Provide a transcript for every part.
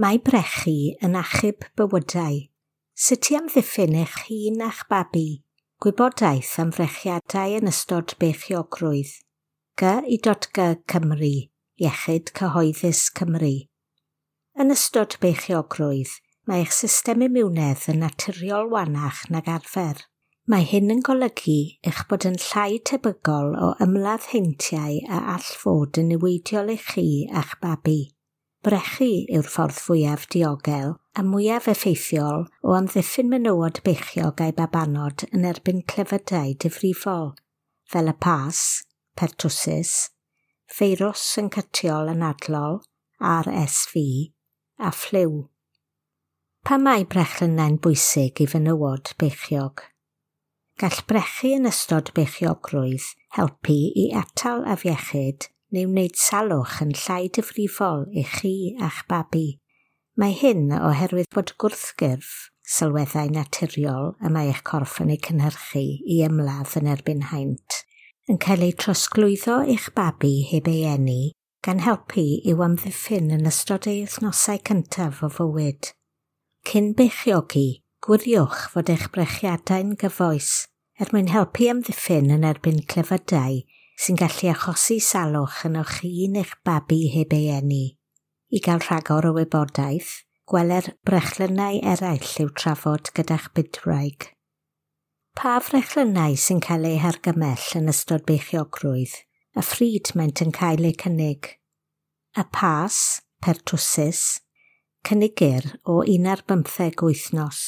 Mae brechu yn achub bywydau. Sut i amddiffyn eich hun a'ch babi? Gwybodaeth am frechiadau yn ystod beichiogrwydd. G.I.G Cymru, Iechyd Cyhoeddus Cymru. Yn ystod beichiogrwydd, mae eich system imiwnedd yn naturiol wanach nag arfer. Mae hyn yn golygu eich bod yn llai tebygol o ymladd heintiau a all fod yn niweidiol i chi a'ch babi. Brechu yw'r ffordd fwyaf diogel a mwyaf effeithiol o amddiffyn menywod beichiog a'u babanod yn erbyn clefydau difrifol, fel y pas, pertussis, feirws syncytiol anadlol, RSV, a ffliw. Pam mae brechlynnau'n bwysig i fenywod beichiog? Gall brechu yn ystod beichiogrwydd helpu i atal afiechyd neu wneud salwch yn llai difrifol i chi a'ch babi. Mae hyn oherwydd bod gwrthgyrff, sylweddau naturiol y mae eich corff yn eu cynhyrchu i ymladd yn erbyn haint, yn cael eu trosglwyddo i'ch babi heb ei eni, gan helpu i'w amddiffyn yn ystod ei wythnosau cyntaf o fywyd. Cyn beichiogi, gwiriwch fod eich brechiadau'n gyfoes er mwyn helpu amddiffyn yn erbyn clefydau sy'n gallu achosi salwch yn o'ch hun eich babi heb ei eni. I gael rhagor o wybodaeth, gweler brechlynnau eraill i'w trafod gyda'ch bydwraig. Pa frechlynnau sy'n cael eu hargymell yn ystod beichiogrwydd, a phryd maent yn cael eu cynnig? Y pas, pertussis, cynigir o 15 wythnos.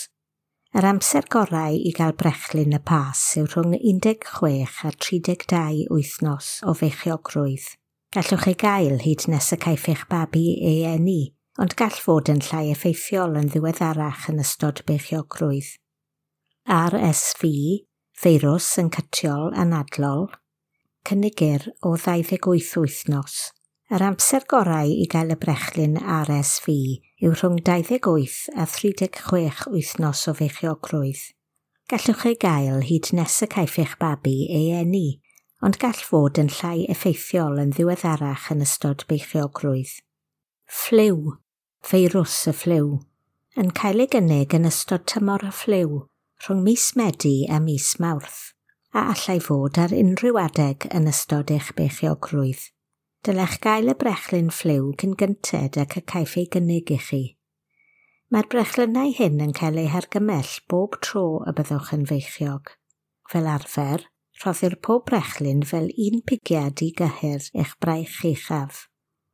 Yr amser gorau i gael brechlyn y pas yw rhwng 16 a 32 wythnos o feichiogrwydd. Gallwch ei gael hyd nes y caiff eich babi ei eni, ond gall fod yn llai effeithiol yn ddiweddarach yn ystod beichiogrwydd. RSV, feirws syncytiol anadlol, cynigir o 28 wythnos. Yr amser gorau i gael y brechlyn RSV yw rhwng 28 a 36 wythnos o feichiogrwydd. Gallwch ei gael hyd nes y caiff eich babi ei eni, ond gall fod yn llai effeithiol yn ddiweddarach yn ystod beichiogrwydd. Ffliw, feirws y ffliw, yn cael ei gynnig yn ystod tymor y ffliw rhwng mis Medi a mis Mawrth, a allai fod ar unrhyw adeg yn ystod eich beichiogrwydd. Dylech gael y brechlyn ffliw cyn gynted ac y caiff ei gynnig i chi. Mae'r brechlynnau hyn yn cael eu hargymell bob tro y byddwch yn feichiog. Fel arfer, rhoddir pob brechlyn fel un pigiad i gyhyr eich braich uchaf.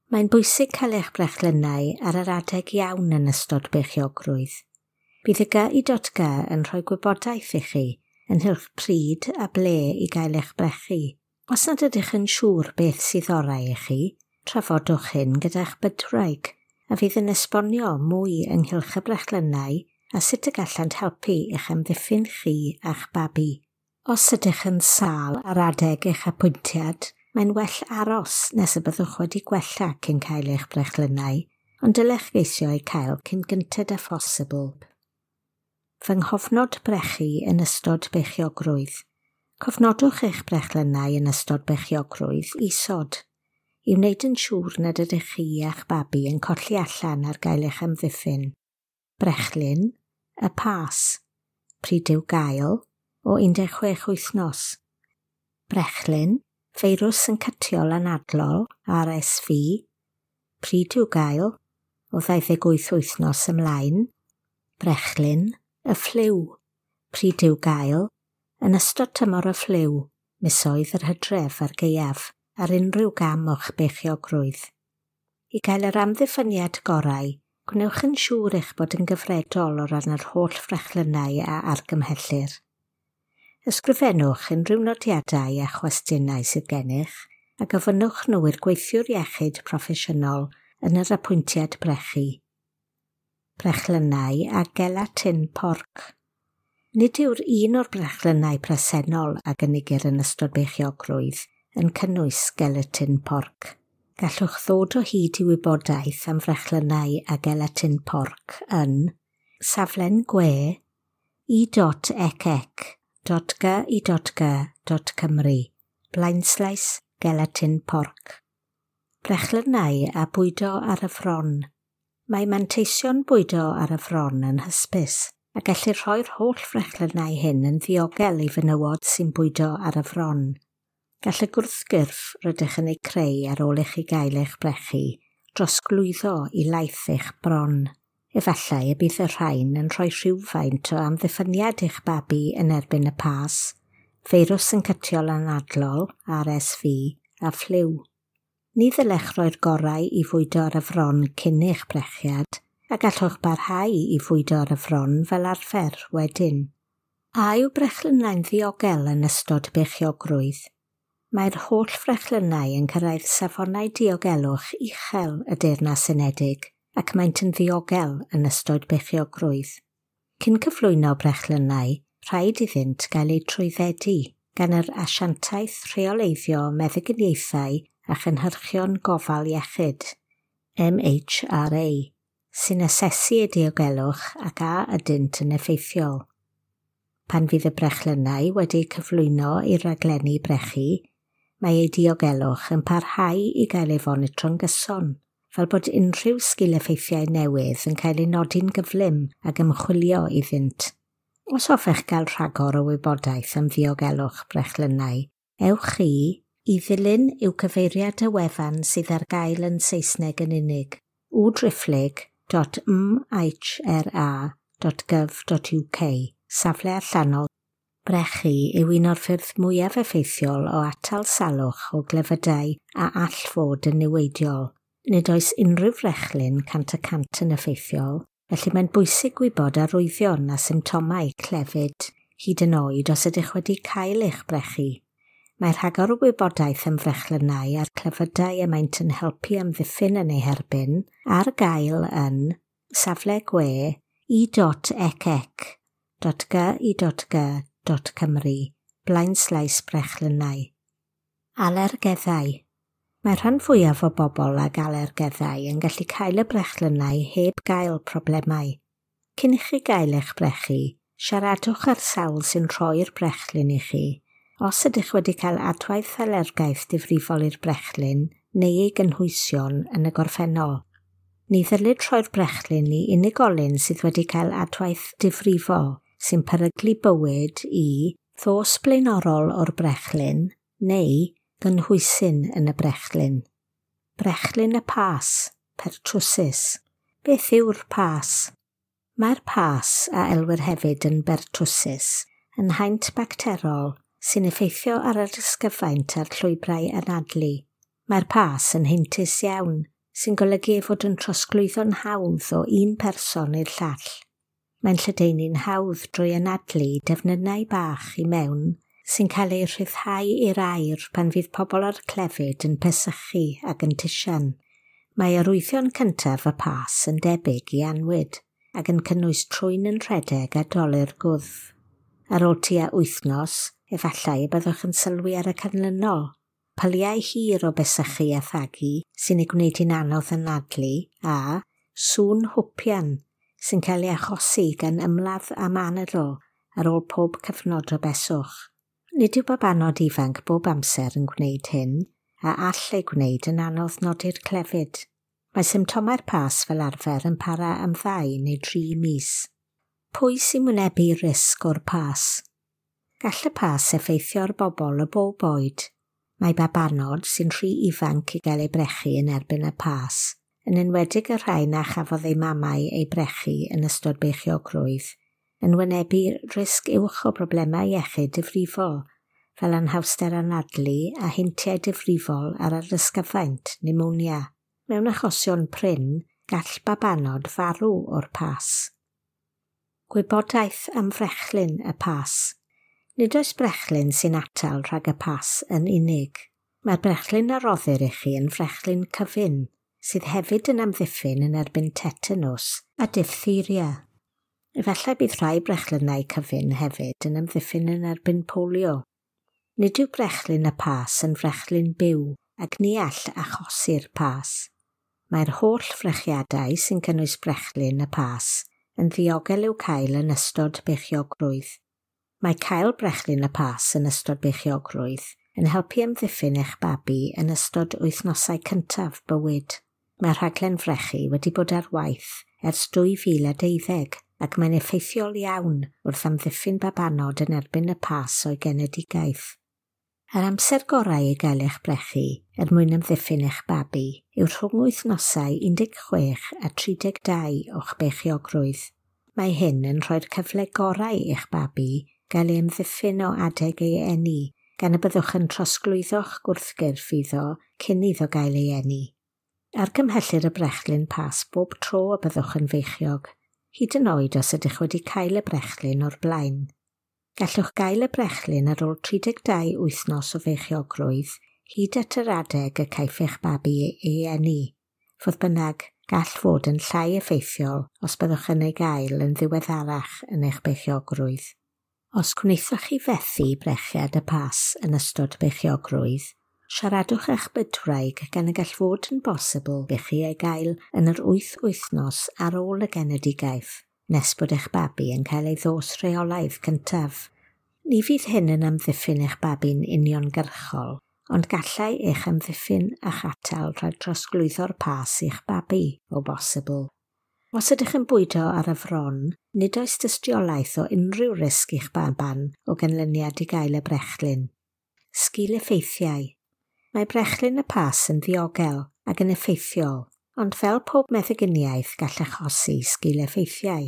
Mae'n bwysig cael eich brechlynnau ar yr adeg iawn yn ystod beichiogrwydd. Bydd y GI.G yn rhoi gwybodaeth i chi ynghylch pryd a ble i gael eich brechu. Os nad ydych yn siŵr beth sydd orau i chi, trafodwch hyn gyda'ch bydwraig, a fydd yn esbonio mwy ynghylch y brechlynnau a sut y gallant helpu eich amddiffyn chi a'ch babi. Os ydych yn sâl ar adeg eich apwyntiad, mae'n well aros nes y byddwch wedi gwella cyn cael eich brechlynnau, ond dylech geisio eu cael cyn gynted â phosibl. Fy nghofnod brechu yn ystod beichiogrwydd. Cofnodwch eich brechlynnau yn ystod beichiogrwydd isod, i wneud yn siŵr nad ydych chi a'ch babi yn colli allan ar gael eich amddiffyn. Brechlyn, y pas, pryd i'w gael, o 16 wythnos. Brechlyn, feirws syncytiol anadlol, RSV, pryd i'w gael, o 28 wythnos ymlaen. Brechlyn, y ffliw, pryd i'w gael, yn ystod tymor y ffliw, misoedd yr hydref a'r gaeaf, ar unrhyw gam o'ch beichiogrwydd. I gael yr amddiffyniad gorau, gwnewch yn siŵr eich bod yn gyfredol o ran yr holl frechlynnau a argymhellir. Ysgrifennwch unrhyw nodiadau a chwestiynau sydd gennych a gofynnwch nhw i'r gweithiwr iechyd proffesiynol yn yr apwyntiad brechu. Brechlynnau a gelatin porc. Nid yw'r un o'r brechlynnau presennol a gynigir yn ystod beichiogrwydd yn cynnwys gelatin porc. Gallwch ddod o hyd i wybodaeth am frechlynnau a gelatin porc yn saflen gwe i.ecec.gi.g.cymru blaenslaes gelatin porc. Brechlynnau a bwydo ar y fron. Mae manteision bwydo ar y fron yn hysbys, a gellir rhoi'r holl frechlynnau hyn yn ddiogel i fenywod sy'n bwydo ar y fron. Gall y gwrthgyrff rydych yn ei creu ar ôl i chi gael eich brechu drosglwyddo i laeth eich bron. Efallai y bydd y rhain yn rhoi rhywfaint o amddiffyniad i'ch babi yn erbyn y pas, feirws syncytiol anadlol, RSV, a ffliw. Ni ddylech roi'r gorau i fwydo ar y fron cyn eich brechiad, a gallwch barhau i fwydo ar y fron fel arfer wedyn. A yw brechlynnau'n ddiogel yn ystod beichiogrwydd? Mae'r holl frechlynnau yn cyrraedd safonau diogelwch uchel y Deyrnas Unedig ac maent yn ddiogel yn ystod beichiogrwydd. Cyn cyflwyno brechlynnau, rhaid iddynt gael eu trwyddedu gan yr Asiantaeth Rheoleiddio Meddyginiaethau a Chynhyrchion Gofal Iechyd, MHRA, sy'n asesu eu diogelwch ac a ydynt yn effeithiol. Pan fydd y brechlynnau wedi'u cyflwyno i'r raglenni brechu, mae eu diogelwch yn parhau i gael ei fonitro'n gyson, fel bod unrhyw sgil-effeithiau newydd yn cael eu nodi'n gyflym ac ymchwilio iddynt. Os hoffech gael rhagor o wybodaeth am ddiogelwch brechlynnau, ewch i ddilyn yw cyfeiriad y wefan sydd ar gael yn Saesneg yn unig, www.mhra.gov.uk, safle allanol. Brechu yw un o'r ffyrdd mwyaf effeithiol o atal salwch o glefydau a all fod yn niweidiol. Nid oes unrhyw frechlyn 100% yn effeithiol, felly mae'n bwysig gwybod arwyddion a symptomau clefyd, hyd yn oed os ydych wedi cael eich brechu. Mae rhagor o wybodaeth am frechlynnau a'r clefydau y maent yn helpu amddiffyn yn eu herbyn ar gael yn safle gwe i.ecec.gy.g.cymru /brechlynnau. Alergeddau. Mae rhan fwyaf o bobl ag alergeddau yn gallu cael y brechlynnau heb gael problemau. Cyn i chi gael eich brechu, siaradwch â'r sawl sy'n rhoi'r brechlyn i chi. Os ydych wedi cael adwaith alergaeth difrifol i'r brechlyn neu ei gynhwysion yn y gorffennol. Ni ddylid rhoi'r brechlyn i unigolyn sydd wedi cael adwaith difrifol sy'n peryglu bywyd i ddos blaenorol o'r brechlyn neu gynhwysyn yn y brechlyn. Brechlyn y pas, pertussis. Beth yw'r pas? Mae'r pas, a elwir hefyd yn bertussis, yn haint bacterol sy'n effeithio ar yr ysgyfaint a'r llwybrau anadlu. Mae'r pas yn heintus iawn, sy'n golygu ei fod yn trosglwyddo'n hawdd o un person i'r llall. Mae'n lledaenu'n hawdd drwy anadlu defnynnau bach i mewn sy'n cael eu rhyddhau i'r aer pan fydd pobl â'r clefyd yn pesychu ac yn tisian. Mae arwyddion cyntaf y pas yn debyg i annwyd ac yn cynnwys trwyn yn rhedeg a dolur gwddf. Ar ôl tua wythnos, efallai y byddwch yn sylwi ar y canlynol. Pyliau hir o besychu a thagu sy'n ei gwneud hi'n anodd anadlu a sŵn hwpian sy'n cael ei achosi gan ymladd am anadl ar ôl pob cyfnod o beswch. Nid yw babanod ifanc bob amser yn gwneud hyn, a all ei gwneud yn anodd nodi'r clefyd. Mae symptomau'r pas fel arfer yn para am 2 neu 3 mis. Pwy sy'n wynebu risg o'r pas? Gall y pas effeithio ar bobl o bob oed. Mae babanod sy'n rhy ifanc i gael eu brechu yn erbyn y pas, yn enwedig y rhai na chafodd eu mamau eu brechu yn ystod beichiogrwydd, yn wynebu risg uwch o broblemau iechyd difrifol, fel anhawster anadlu a heintiau difrifol ar yr ysgyfaint, pneumonia. Mewn achosion prin, gall babanod farw o'r pas. Gwybodaeth am frechlyn y pas. Nid oes brechlyn sy'n atal rhag y pas yn unig. Mae'r brechlyn a roddir i chi yn frechlyn cyfun, sydd hefyd yn amddiffyn yn erbyn tetanws a diphtheria. Efallai bydd rhai brechlynnau cyfun hefyd yn amddiffyn yn erbyn polio. Nid yw brechlyn y pas yn frechlyn byw ac ni all achosi'r pas. Mae'r holl frechiadau sy'n cynnwys brechlyn y pas yn ddiogel i'w cael yn ystod beichiogrwydd. Mae cael brechlyn y pas yn ystod beichiogrwydd yn helpu amddiffyn eich babi yn ystod wythnosau cyntaf bywyd. Mae rhaglen frechu wedi bod ar waith ers 2012 ac mae'n effeithiol iawn wrth amddiffyn babanod yn erbyn y pas o'i genedigaeth. Yr amser gorau i gael eich brechu er mwyn amddiffyn eich babi yw rhwng wythnosau 16 a 32 o'ch beichiogrwydd. Mae hyn yn rhoi'r cyfle gorau i'ch babi gael ei amddiffyn o adeg ei eni, gan y byddwch yn trosglwyddo'ch gwrthgyrff iddo cyn iddo gael ei eni. Argymhellir y brechlyn pas bob tro y byddwch yn feichiog, hyd yn oed os ydych wedi cael y brechlyn o'r blaen. Gallwch gael y brechlyn ar ôl 32 wythnos o feichiogrwydd hyd at yr adeg y caiff eich babi ei eni. Fodd bynnag, gall fod yn llai effeithiol os byddwch yn ei gael yn ddiweddarach yn eich beichiogrwydd. Os gwnaethoch chi fethu brechiad y pas yn ystod beichiogrwydd, siaradwch â'ch bydwraig gan y gall fod yn bosibl i chi ei gael yn yr 8 wythnos ar ôl y genedigaeth, nes bod eich babi yn cael ei ddos rheolaidd cyntaf. Ni fydd hyn yn amddiffyn eich babi'n uniongyrchol, ond gallai eich amddiffyn a'ch atal rhag trosglwyddo'r pas i'ch babi, o bosibl. Os ydych yn bwydo ar y fron, nid oes dystiolaeth o unrhyw risg i'ch baban o ganlyniad i gael y brechlyn. Sgil effeithiau. Mae brechlyn y pas yn ddiogel ac yn effeithiol, ond fel pob meddyginiaeth gall achosi sgil effeithiau.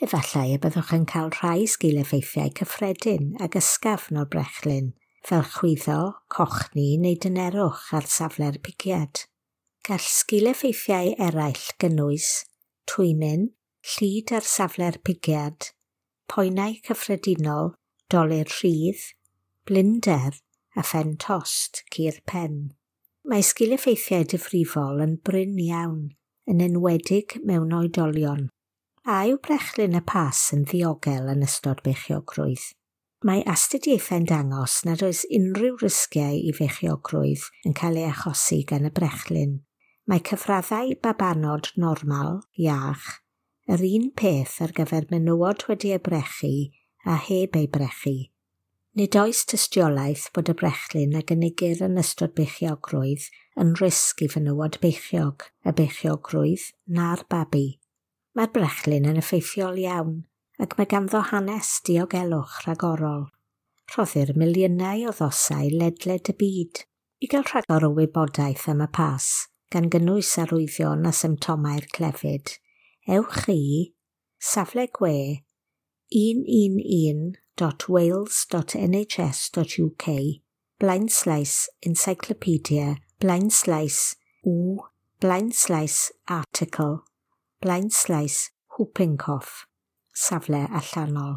Efallai y byddwch yn cael rhai sgil effeithiau cyffredin ag ysgafn o'r brechlyn, fel chwyddo, cochni neu dynerwch ar safle'r pigiad. Gall sgil effeithiau eraill gynnwys twymyn, llid ar safle'r pigiad, poenau cyffredinol, dolur rhydd, blinder a phen tost cur pen. Mae sgil effeithiau difrifol yn brin iawn, yn enwedig mewn oedolion. A yw brechlyn y pas yn ddiogel yn ystod beichiogrwydd? Mae astudiaethau'n dangos nad oes unrhyw risgiau i feichiogrwydd yn cael ei achosi gan y brechlyn. Mae cyfraddau babanod normal, iach, yr un peth ar gyfer menywod wedi eu brechu a heb eu brechu. Nid oes tystiolaeth bod y brechlyn a gynigir yn ystod beichiogrwydd yn risg i fenywod beichiog, y beichiogrwydd na'r babi. Mae'r brechlyn yn effeithiol iawn ac mae ganddo hanes diogelwch rhagorol. Rhoddir miliynau o ddosau ledled y byd. I gael rhagor o wybodaeth am y pas, gan gynnwys arwyddion a symptomau'r clefyd, ewch i safle gwe 111.wales.nhs.uk /encyclopedia /u /article /whooping cough, safle allanol.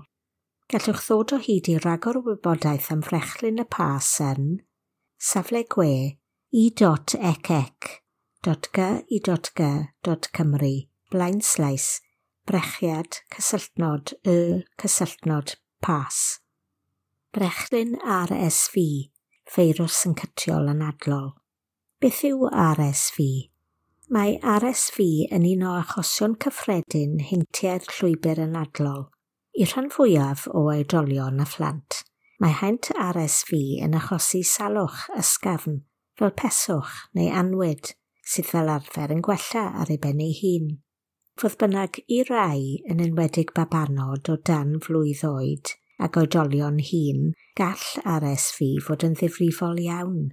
Gallwch ddod o hyd i ragor o wybodaeth am frechlyn y pas yn safle gwe e.ecec.gy.g.cymru /brechiad cysylltnod y cysylltnod pas. Brechlyn RSV, feirws syncytiol anadlol. Beth yw RSV? Mae RSV yn un o achosion cyffredin heintiau'r llwybr anadlol. I'r rhan fwyaf o oedolion a phlant, mae haint RSV yn achosi salwch ysgafn, fel peswch neu anwyd, sydd fel arfer yn gwella ar ei ben ei hun. Fodd bynnag, i rai, yn enwedig babanod o dan flwydd oed ac oedolion hŷn, gall RSV fod yn ddifrifol iawn.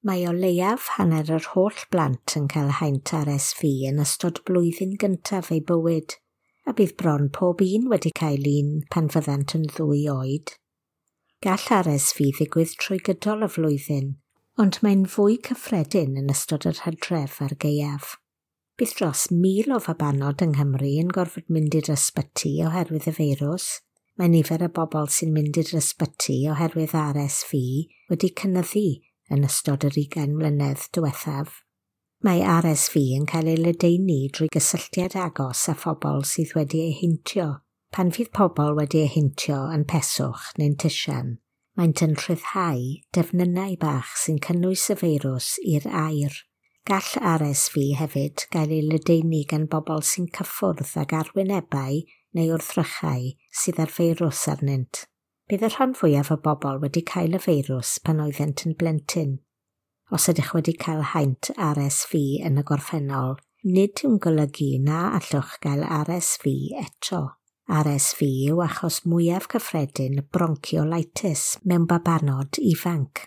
Mae o leiaf hanner yr holl blant yn cael haint RSV yn ystod blwyddyn gyntaf eu bywyd, a bydd bron pob un wedi cael un pan fyddant yn 2 oed. Gall RSV ddigwydd trwy gydol y flwyddyn, ond mae'n fwy cyffredin yn ystod yr hydref a'r gaeaf. Bydd dros 1,000 o fabanod yng Nghymru yn gorfod mynd i'r ysbyty oherwydd y feirws. Mae nifer y bobl sy'n mynd i'r ysbyty oherwydd RSV wedi cynyddu yn ystod yr 20 mlynedd diwethaf. Mae RSV yn cael ei ledaenu drwy gysylltiad agos â phobl sydd wedi eu heintio. Pan fydd pobl wedi eu heintio yn peswch neu'n tisian, maent yn rhyddhau defnynnau bach sy'n cynnwys y feirws i'r aer. Gall RSV hefyd gael ei ledaenu gan bobl sy'n cyffwrdd ag arwynebau neu wrthrychau sydd â'r feirws arnynt. Bydd y rhan fwyaf o bobl wedi cael y feirws pan oeddent yn blentyn. Os ydych wedi cael haint RSV yn y gorffennol, nid yw'n golygu na allwch gael RSV eto. RSV yw achos mwyaf cyffredin bronchiolitis mewn babanod ifanc.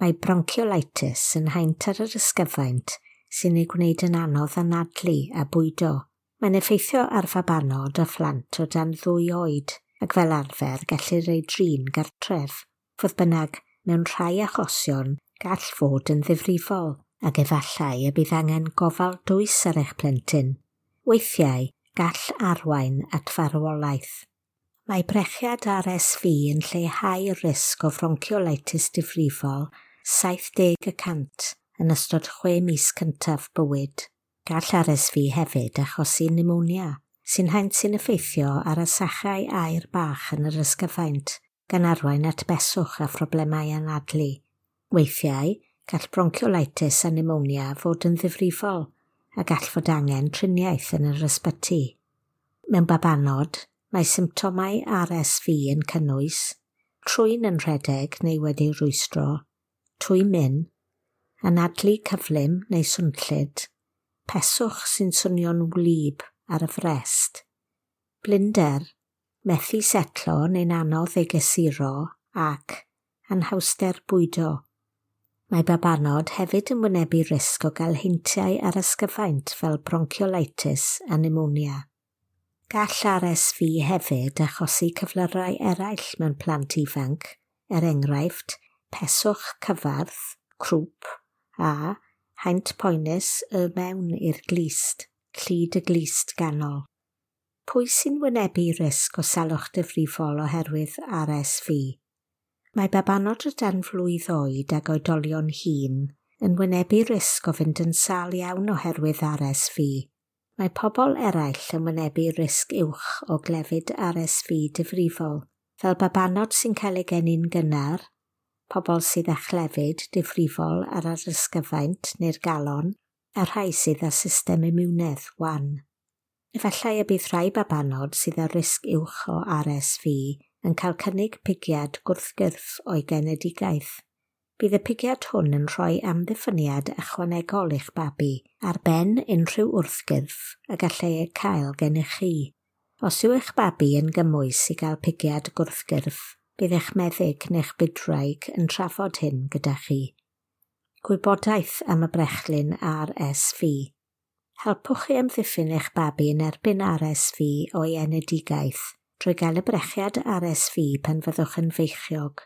Mae bronchiolitis yn haint ar yr ysgyfaint sy'n ei gwneud yn anodd anadlu a bwydo. Mae'n effeithio ar fabanod a phlant o dan 2 oed ac fel arfer gellir ei drin gartref. Fodd bynnag, mewn rhai achosion, gall fod yn ddifrifol ac efallai y bydd angen gofal dwys ar eich plentyn. Weithiau, gall arwain at farwolaeth. Mae brechiad RSV yn lleihau risg o fronchiolitis difrifol 70% yn ystod 6 mis cyntaf bywyd. Gall RSV hefyd achosi pneumonia, sy'n haint sy'n effeithio ar y sachau aer bach yn yr ysgyfaint, gan arwain at beswch a phroblemau anadlu. Weithiau, gall bronchiolitis a pneumonia fod yn ddifrifol a gall fod angen triniaeth yn yr ysbyty. Mewn babanod, mae symptomau RSV yn cynnwys trwyn yn rhedeg neu wedi rwystro, twymyn, anadlu cyflym neu swnllyd, peswch sy'n swnio'n wlyb ar y frest, blinder, methu setlo neu'n anodd ei gysuro ac anhawster bwydo. Mae babanod hefyd yn wynebu risg o gael heintiau ar ysgyfaint fel bronchiolitis a pneumonia. Gall RSV hefyd achosi cyflyrau eraill mewn plant ifanc, er enghraifft peswch cyfarth, crwp a haint poenus y mewn i'r glust, llid y glust ganol. Pwy sy'n wynebu risg o salwch difrifol oherwydd RSV? Mae babanod o dan flwydd oed ag oedolion hŷn yn wynebu risg o fynd yn sâl iawn oherwydd RSV. Mae pobl eraill yn wynebu risg uwch o glefyd RSV difrifol, fel babanod sy'n cael eu geni'n gynnar, pobl sydd â chlefyd difrifol ar yr ysgyfaint neu'r galon, a rhai sydd â system imiwnedd wan. Efallai y bydd rhai babanod sydd â risg uwch o RSV yn cael cynnig pigiad gwrthgyrff o'i genedigaeth. Bydd y pigiad hwn yn rhoi amddiffyniad ychwanegol i'ch babi ar ben unrhyw wrthgyrff y gallai eu cael gennych chi. Os yw eich babi yn gymwys i gael pigiad gwrthgyrff, bydd eich meddyg neu'ch bydwraig yn trafod hyn gyda chi. Gwybodaeth am y brechlyn RSV. Helpwch chi amddiffyn eich babi yn erbyn RSV o'i enedigaeth drwy gael y brechiad RSV pan fyddwch yn feichiog.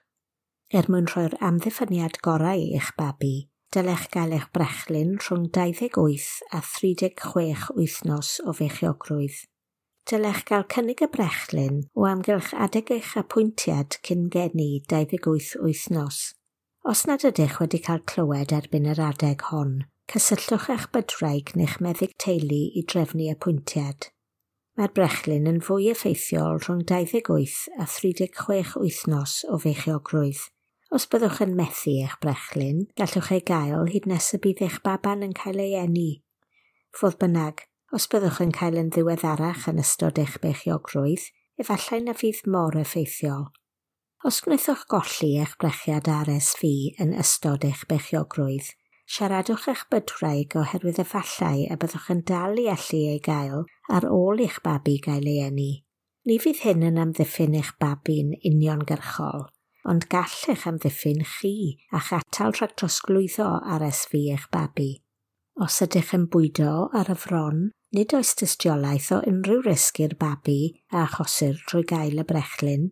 Er mwyn rhoi'r amddiffyniad gorau i'ch babi, dylech gael eich brechlyn rhwng 28 a 36 wythnos o feichiogrwydd. Dylech gael cynnig y brechlyn o amgylch adeg eich apwyntiad cyn geni 28 wythnos. Os nad ydych wedi cael clywed erbyn yr adeg hon, cysylltwch â'ch bydwraig neu'ch meddyg teulu i drefnu apwyntiad. Mae'r brechlyn yn fwy effeithiol rhwng 28 a 36 wythnos o feichiogrwydd. Os byddwch yn methu eich brechlyn, gallwch ei gael hyd nes y bydd eich baban yn cael ei eni. Fodd bynnag, os byddwch yn cael yn ddiweddarach yn ystod eich beichiogrwydd, efallai na fydd mor effeithiol. Os gwnaethoch golli eich brechiad RSV yn ystod eich beichiogrwydd, siaradwch eich bydwraig oherwydd efallai y byddwch yn dal i allu ei gael ar ôl i'ch babi gael ei eni. Ni fydd hyn yn amddiffyn eich babi'n uniongyrchol, ond gall eich amddiffyn chi a'ch atal rhag trosglwyddo RSV eich babi. Os ydych yn bwydo ar y fron, nid oes tystiolaeth o unrhyw risg i'r babi a achosir drwy gael y brechlyn.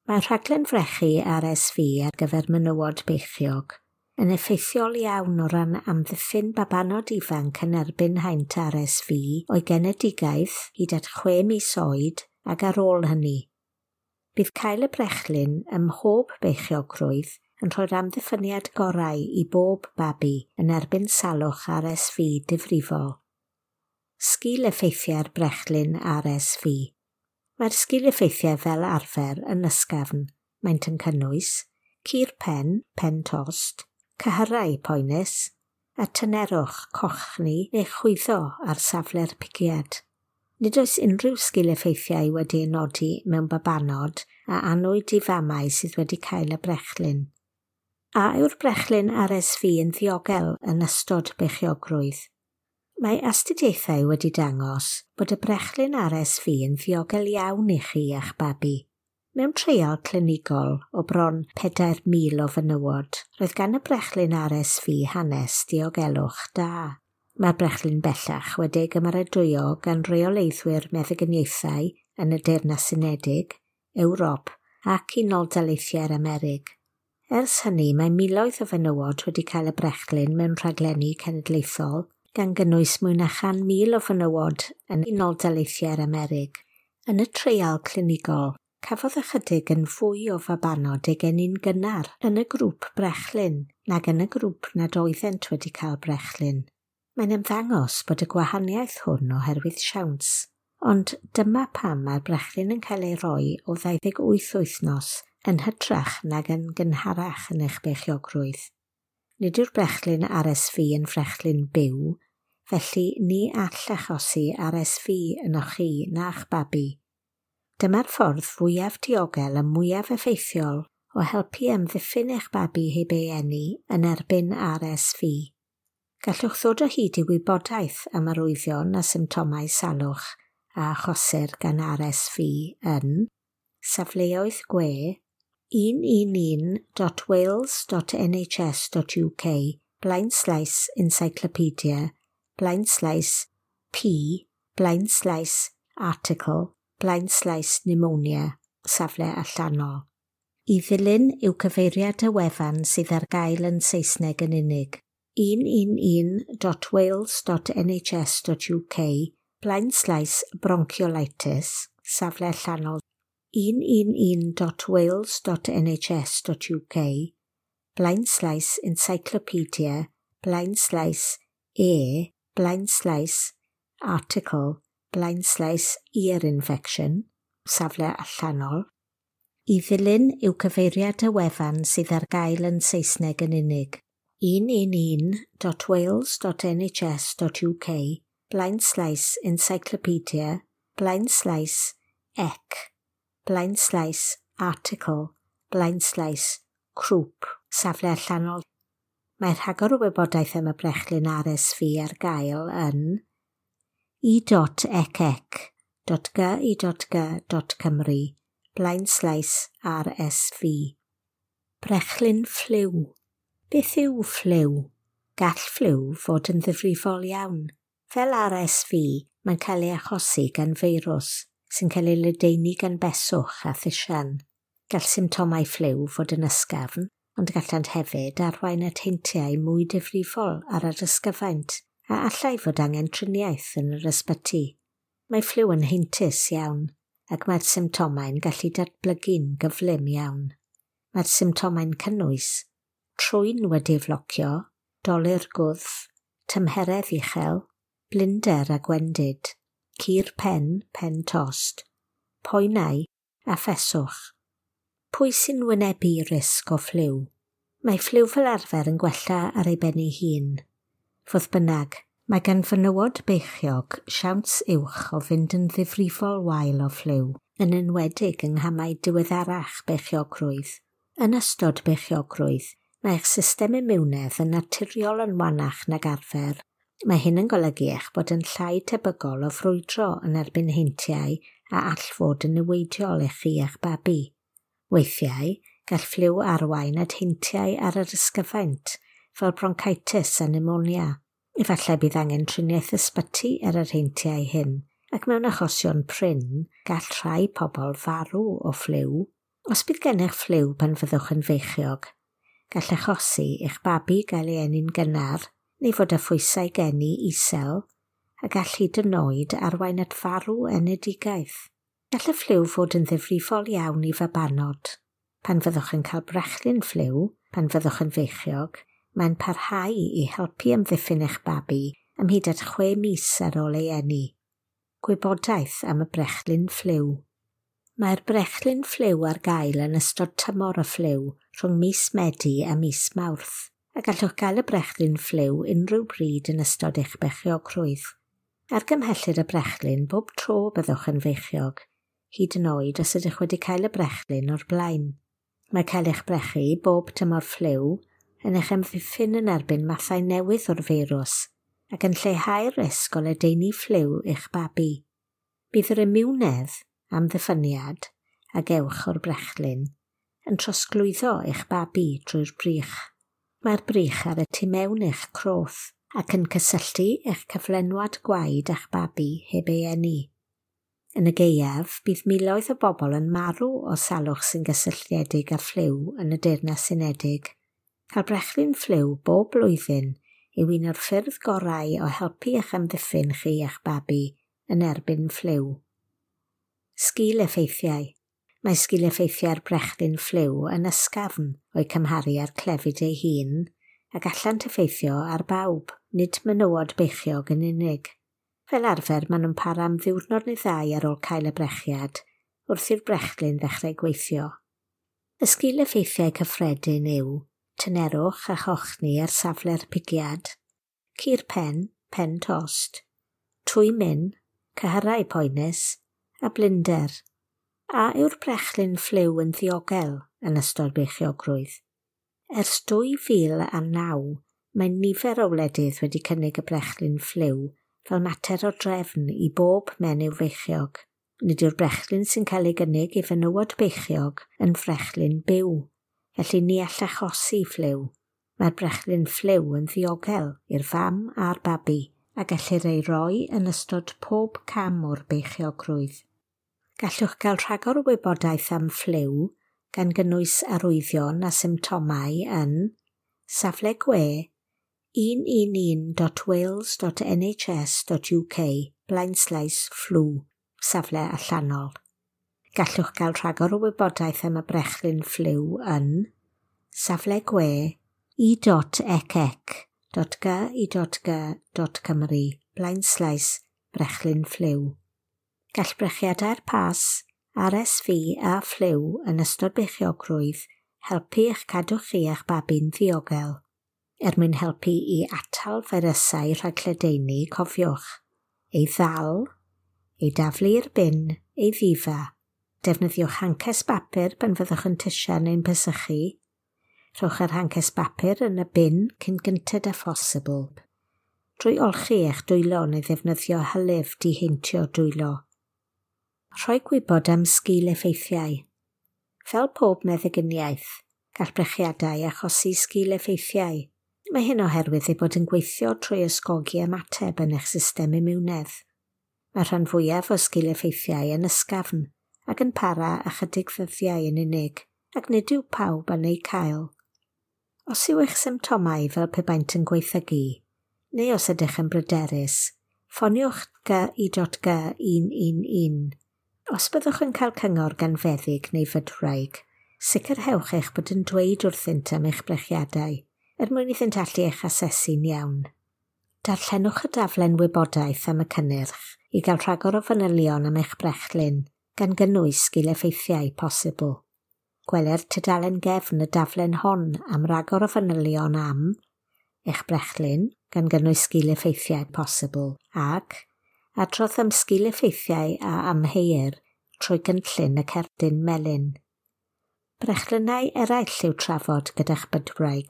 Mae rhaglen frechu RSV ar gyfer menywod beichiog yn effeithiol iawn o ran amddiffyn babanod ifanc yn erbyn haint RSV o'i genedigaeth hyd at 6 mis oed ac ar ôl hynny. Bydd cael y brechlyn ym mhob beichiogrwydd yn rhoi'r amddiffyniad gorau i bob babi yn erbyn salwch RSV difrifol. Sgil effeithiau'r brechlyn RSV. Mae'r sgil effeithiau fel arfer yn ysgafn. Maent yn cynnwys cur pen, pen tost, cyhyrau poenus, a tynerwch cochni neu chwyddo ar safle'r pigiad. Nid oes unrhyw sgil effeithiau wedi ei nodi mewn babanod a anwyd i famau sydd wedi cael y brechlyn. A yw'r brechlyn RSV yn ddiogel yn ystod beichiogrwydd? Mae astudiaethau wedi dangos bod y brechlyn RSV yn ddiogel iawn i chi a'ch babi. Mewn treial clinigol o bron 4,000 o fenywod, roedd gan y brechlyn RSV hanes diogelwch da. Mae'r brechlyn bellach wedi ei gymeradwyo gan reoleiddwyr meddyginiaethau yn y Deyrnas Unedig, Ewrop ac Unol Daleithiau'r Amerig. Ers hynny, mae miloedd o fenywod wedi cael y brechlyn mewn rhaglenni cenedlaethol, gan gynnwys mwy na 100,000 o fenywod yn Unol Daleithiau'r Amerig. Yn y treial clinigol, cafodd ychydig yn fwy o fabanod eu geni'n gynnar yn y grŵp brechlyn nag yn y grŵp nad oeddent wedi cael brechlyn. Mae'n ymddangos bod y gwahaniaeth hwn oherwydd siawns, ond dyma pam mae'r brechlyn yn cael ei roi o 28 wythnos yn hytrach nag yn gynharach yn eich beichiogrwydd. Nid yw'r brechlyn RSV yn frechlyn byw, felly ni all achosi RSV ynoch chi na'ch babi. Dyma'r ffordd fwyaf diogel a mwyaf effeithiol o helpu amddiffyn eich babi heb ei eni yn erbyn RSV. Gallwch ddod o hyd i wybodaeth am arwyddion a symptomau salwch a achosir gan RSV yn safleoedd gwe 111.wales.nhs.uk /encyclopedia /p /article /pneumonia safle allanol. I ddilyn yw cyfeiriad y wefan sydd ar gael yn Saesneg yn unig. 111.wales.nhs.uk /bronchiolitis safle allanol 111.wales.nhs.uk /encyclopedia /e /article /ear infection safle allanol. I ddilyn yw cyfeiriad y wefan sydd ar gael yn Saesneg yn unig. 111.wales.nhs.uk /encyclopedia /ec /article /crwp safle allanol. Mae rhagor o wybodaeth am y brechlyn RSV ar gael yn e.ecec.gy.g.cymru /RSV. Brechlyn ffliw. Beth yw ffliw? Gall ffliw fod yn ddifrifol iawn. Fel RSV, mae'n cael ei achosi gan feirws sy'n cael ei ledaenu gan beswch a thisian. Gall symptomau ffliw fod yn ysgafn, ond gallant hefyd arwain at heintiau mwy difrifol ar yr ysgyfaint a allai fod angen triniaeth yn yr ysbyty. Mae ffliw yn heintus iawn, ac mae'r symptomau'n gallu datblygu'n gyflym iawn. Mae'r symptomau'n cynnwys trwyn wedi'i flocio, dolur gwddf, tymheredd uchel, blinder a gwendid, cur pen, pen tost, poenau a pheswch. Pwy sy'n wynebu risg o ffliw? Mae ffliw fel arfer yn gwella ar ei ben ei hun. Fodd bynnag, mae gan fenywod beichiog siawns uwch o fynd yn ddifrifol wael o ffliw, yn enwedig yng nghamau diweddarach beichiogrwydd. Yn ystod beichiogrwydd, mae eich system imiwnedd yn naturiol yn wanach nag arfer. Mae hyn yn golygu eich bod yn llai tebygol o frwydro yn erbyn heintiau a all fod yn niweidiol i chi a'ch babi. Weithiau, gall ffliw arwain at heintiau ar yr ysgyfaint, fel bronchitis a pneumonia. Efallai bydd angen triniaeth ysbyty ar yr heintiau hyn, ac mewn achosion prin, gall rhai pobl farw o ffliw. Os bydd gennych ffliw pan fyddwch yn feichiog, gall achosi i'ch babi gael ei eni'n gynnar neu fod â phwysau geni isel, a gall hyd yn oed arwain at farw enedigaeth. Gall y ffliw fod yn ddifrifol iawn i fabanod. Pan fyddwch yn cael brechlyn ffliw, pan fyddwch yn feichiog, mae'n parhau i helpu amddiffyn eich babi am hyd at 6 mis ar ôl ei eni. Gwybodaeth am y brechlyn ffliw. Mae'r brechlyn ffliw ar gael yn ystod tymor y ffliw rhwng mis Medi a mis Mawrth, a gallwch gael y brechlyn ffliw unrhyw bryd yn ystod eich beichiogrwydd. Argymhellir y brechlyn bob tro byddwch yn feichiog, hyd yn oed os ydych wedi cael y brechlyn o'r blaen. Mae cael eich brechu bob tymor ffliw yn eich amddiffyn yn erbyn mathau newydd o'r feirws ac yn lleihau'r risg o ledaenu ffliw i'ch babi. Bydd yr imiwnedd, amddiffyniad, a gewch o'r brechlyn yn trosglwyddo eich babi drwy'r brych. Mae'r brych ar y tu mewn eich croth ac yn cysylltu eich cyflenwad gwaed a'ch babi heb ei eni. Yn y gaeaf, bydd miloedd o bobl yn marw o salwch sy'n gysylltiedig â ffliw yn y Deyrnas Unedig. Cael brechlyn ffliw bob blwyddyn yw un o'r ffyrdd gorau o helpu eich amddiffyn chi a'ch babi yn erbyn ffliw. Sgil effeithiau. Mae sgil effeithiau'r brechlyn ffliw yn ysgafn o'i cymharu â'r clefyd ei hun a gallant effeithio ar bawb, nid menywod beichiog yn unig. Fel arfer, maen nhw'n para am ddiwrnod neu ddau ar ôl cael y brechiad, wrth i'r brechlyn ddechrau gweithio. Y sgil effeithiau cyffredin yw tynerwch a chochni ar safle'r pigiad, cur pen, pen tost, twymyn, cyhyrau poenus a blinder. A yw'r brechlyn ffliw yn ddiogel yn ystod beichiogrwydd? Ers 2009, mae nifer o wledydd wedi cynnig y brechlyn ffliw fel mater o drefn i bob menyw feichiog. Nid yw'r brechlyn sy'n cael ei gynnig i fenywod beichiog yn frechlyn byw, felly ni all achosi ffliw. Mae'r brechlyn ffliw yn ddiogel i'r fam a'r babi a gellir ei roi yn ystod pob cam o'r beichiogrwydd. Gallwch gael rhagor o wybodaeth am ffliw gan gynnwys arwyddion a symptomau yn safle gwe 111.wales.nhs.uk /flu, safle allanol. Gallwch gael rhagor o wybodaeth am y brechlyn ffliw yn safle gwe e.ecec.gy.g.cymru /brechlyn ffliw. Gall brechiadau'r pas, RSV a ffliw yn ystod beichiogrwydd helpu eich cadw chi a'ch babi'n ddiogel. Er mwyn helpu i atal feirysau rhag lledaenu, cofiwch: ei ddal, ei daflu i'r bin, ei ddifa. Defnyddiwch hances bapur pan fyddwch yn tisian neu'n pesychu. Rhowch yr hances bapur yn y bin cyn gynted â phosibl. Drwy olchi eich dwylo neu ddefnyddio hylif diheintio dwylo. Rhoi gwybod am sgil effeithiau. Fel pob meddyginiaeth, gall brechiadau achosi sgil effeithiau. Mae hyn oherwydd ei bod yn gweithio trwy ysgogi ymateb yn eich system imiwnedd. Mae rhan fwyaf o sgil effeithiau yn ysgafn ac yn para ychydig ddyddiau yn unig, ac nid yw pawb yn eu cael. Os yw eich symptomau fel pe baent yn gwaethygu, neu os ydych yn bryderus, ffoniwch GI.G 111. Os byddwch yn cael cyngor gan feddyg neu fydwraig, sicrhewch eich bod yn dweud wrthynt am eich brechiadau, er mwyn iddynt allu eich asesu'n iawn. Darllenwch y daflen wybodaeth am y cynnyrch i gael rhagor o fanylion am eich brechlyn, gan gynnwys sgil effeithiau posibl. Gweler tudalen gefn y daflen hon am ragor o fanylion am eich brechlyn, gan gynnwys sgil effeithiau posibl, ac adrodd am sgil effeithiau a amheuir trwy gynllun y cerdyn melyn. Brechlynnau eraill i'w trafod gyda'ch bydwraig.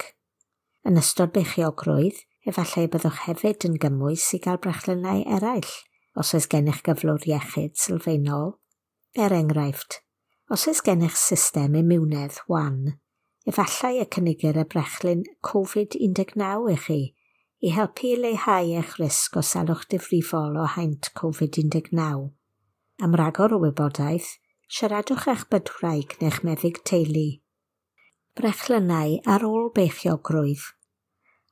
Yn ystod beichiogrwydd, efallai byddwch hefyd yn gymwys i gael brechlynnau eraill os oes gennych gyflwr iechyd sylfaenol. Er enghraifft, os oes gennych system imiwnedd wan, efallai y cynigir y brechlyn Covid-19 i chi i helpu i leihau eich risg o salwch difrifol o haint Covid-19. Am ragor o wybodaeth, siaradwch â'ch bydwraig neu'ch meddyg teulu. Brechlynnau ar ôl beichiogrwydd.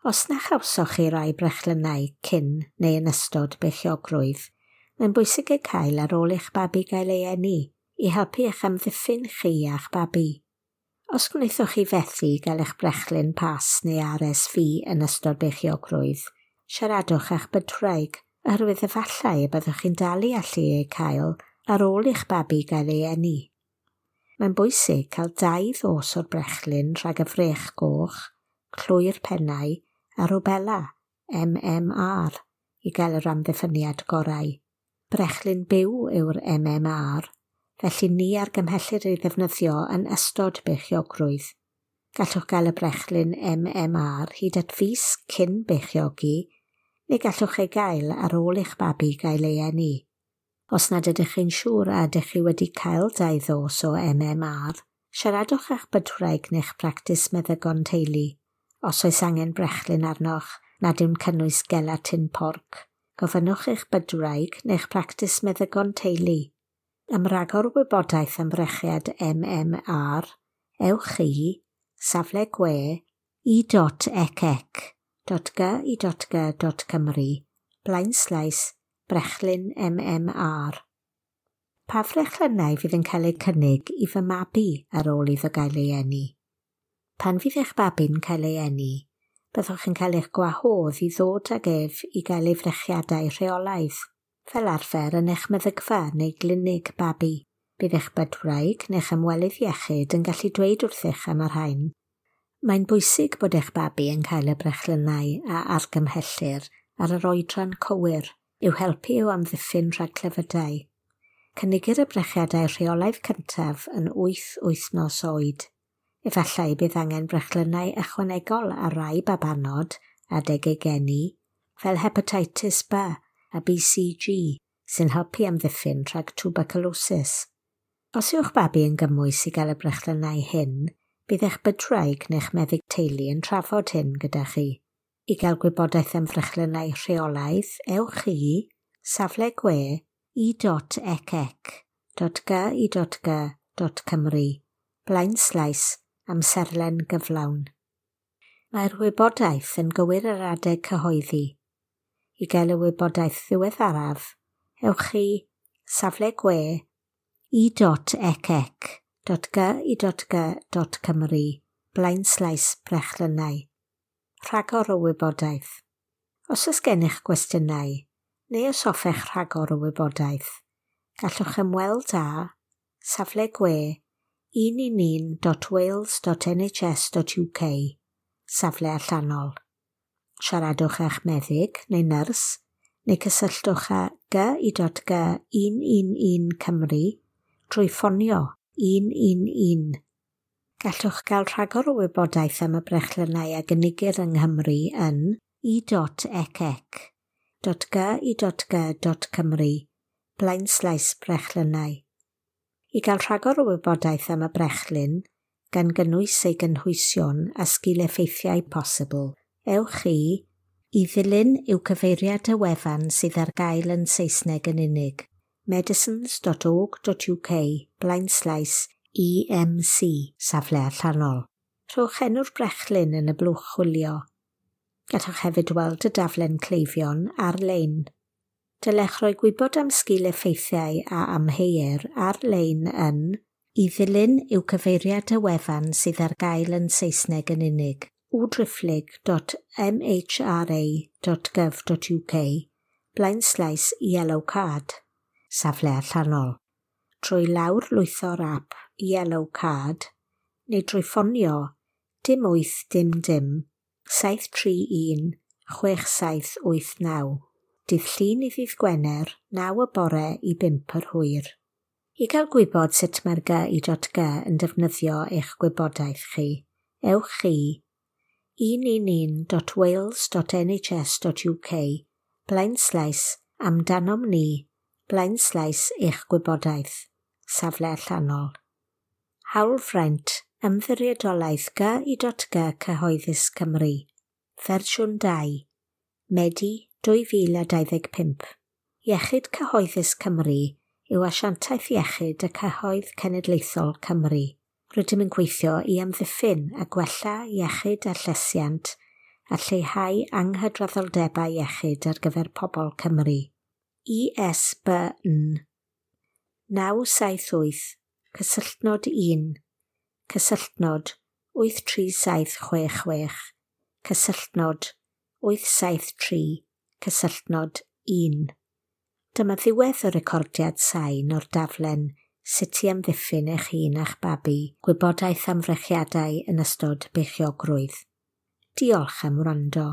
Os na chawsoch chi rai brechlynnau cyn neu yn ystod beichiogrwydd, mae'n bwysig eu cael ar ôl eich babi gael ei eni i helpu eich amddiffyn chi a'ch babi. Os gwnaethoch chi fethu gael eich brechlyn pas neu RSV yn ystod beichiogrwydd, siaradwch â'ch bydwraig, oherwydd efallai y byddwch chi'n dal i allu eu cael ar ôl i'ch babi gael ei eni. Mae'n bwysig cael 2 ddos o'r brechlyn rhag y frech goch, clwy'r pennau a rwbela, MMR, i gael yr amddiffyniad gorau. Brechlyn byw yw'r MMR, felly ni argymhellir ei ddefnyddio yn ystod beichiogrwydd. Gallwch gael y brechlyn MMR hyd at fis cyn beichiogi, neu gallwch ei gael ar ôl i'ch babi gael ei eni. Os nad ydych chi'n siŵr a ydych chi wedi cael 2 ddos o MMR, siaradwch â'ch bydwraig neu'ch practis meddygon teulu. Os oes angen brechlyn arnoch nad yw'n cynnwys gelatin porc, gofynnwch eich bydwraig neu'ch practis meddygon teulu. Am ragor o wybodaeth am frechiad MMR, ewch i safle gwe e.ecec.gy.g.cymru / brechlyn MMR. Pa frechlynnau fydd yn cael eu cynnig i fy mabi ar ôl iddo gael ei eni? Pan fydd eich babi'n cael ei eni, byddwch yn cael eich gwahodd i ddod ag ef i gael ei frechiadau rheolaidd, fel arfer yn eich meddygfa neu glinig babi. Bydd eich bydwraig neu'ch ymwelydd iechyd yn gallu dweud wrthych am y rhain. Mae'n bwysig bod eich babi yn cael y brechlynnau a argymhellir ar yr oedran cywir i'w helpu i'w amddiffyn rhag clefydau. Cynigir y brechiadau rheolaidd cyntaf yn 8 wythnos oed. Efallai bydd angen brechlynnau ychwanegol ar rai babanod adeg eu geni, fel hepatitis B a BCG, sy'n helpu amddiffyn rhag tuberculosis. Os yw'ch babi yn gymwys i gael y brechlynnau hyn, bydd eich bydwraig neu'ch meddyg teulu yn trafod hyn gyda chi. I gael gwybodaeth am frechlynnau rheolaidd, ewch i safle gwe e.ecec.gy.g.cymru / amserlen gyflawn. Mae'r wybodaeth yn gywir ar adeg cyhoeddi. I gael y wybodaeth ddiweddaraf, ewch i safle gwe e.ecec.gy.g.cymru / brechlynnau. Rhagor o wybodaeth. Os oes gennych gwestiynau, neu os hoffech rhagor o wybodaeth, gallwch ymweld â safle gwe 111.wales.nhs.uk, safle allanol. Siaradwch â'ch meddyg neu nyrs, neu cysylltwch â gy.g 111 Cymru drwy ffonio 111. Gallwch gael rhagor o wybodaeth am y brechlynnau a gynigir yng Nghymru yn e.ecec.gy.g.cymru / brechlynnau. I gael rhagor o wybodaeth am y brechlyn, gan gynnwys ei gynhwysion a sgil-effeithiau posibl, ewch i ddilyn yw cyfeiriad y wefan sydd ar gael yn Saesneg yn unig, medicines.org.uk / EMC, safle allanol. Rhowch enw'r brechlyn yn y blwch chwilio. Gallwch hefyd weld y daflen cleifion ar-lein. Dylech roi gwybod am sgil-effeithiau a amheuir ar-lein yn i ddilyn yw cyfeiriad y wefan sydd ar gael yn Saesneg yn unig, www.mhra.gov.uk / yellow card, safle allanol. Trwy lawr lwytho'r app Yellow Card neu drwy ffonio 0 8 0 0 731 6789. Dydd Llun i ddydd Gwener, 9 y bore i 5 yr hwyr. I gael gwybod sut mae'r gy.g yn defnyddio eich gwybodaeth chi, ewch i 111.wales.nhs.uk / amdanom ni / eich gwybodaeth, safle allanol. Hawlfraint Ymddiriedolaeth gy.g Cyhoeddus Cymru. Fersiwn 2. Medi 2025. Iechyd Cyhoeddus Cymru yw asiantaeth iechyd y cyhoedd cenedlaethol Cymru. Rydym yn gweithio i amddiffyn a gwella iechyd a llesiant a lleihau anghydraddoldebau iechyd ar gyfer pobl Cymru. ISBN 978 cysylltnod 1 cysylltnod 83766 cysylltnod 873 cysylltnod 1. Dyma ddiwedd y recordiad sain o'r daflen Sut i amddiffyn eich hun a'ch babi, gwybodaeth am frechiadau yn ystod beichiogrwydd. Diolch am wrando.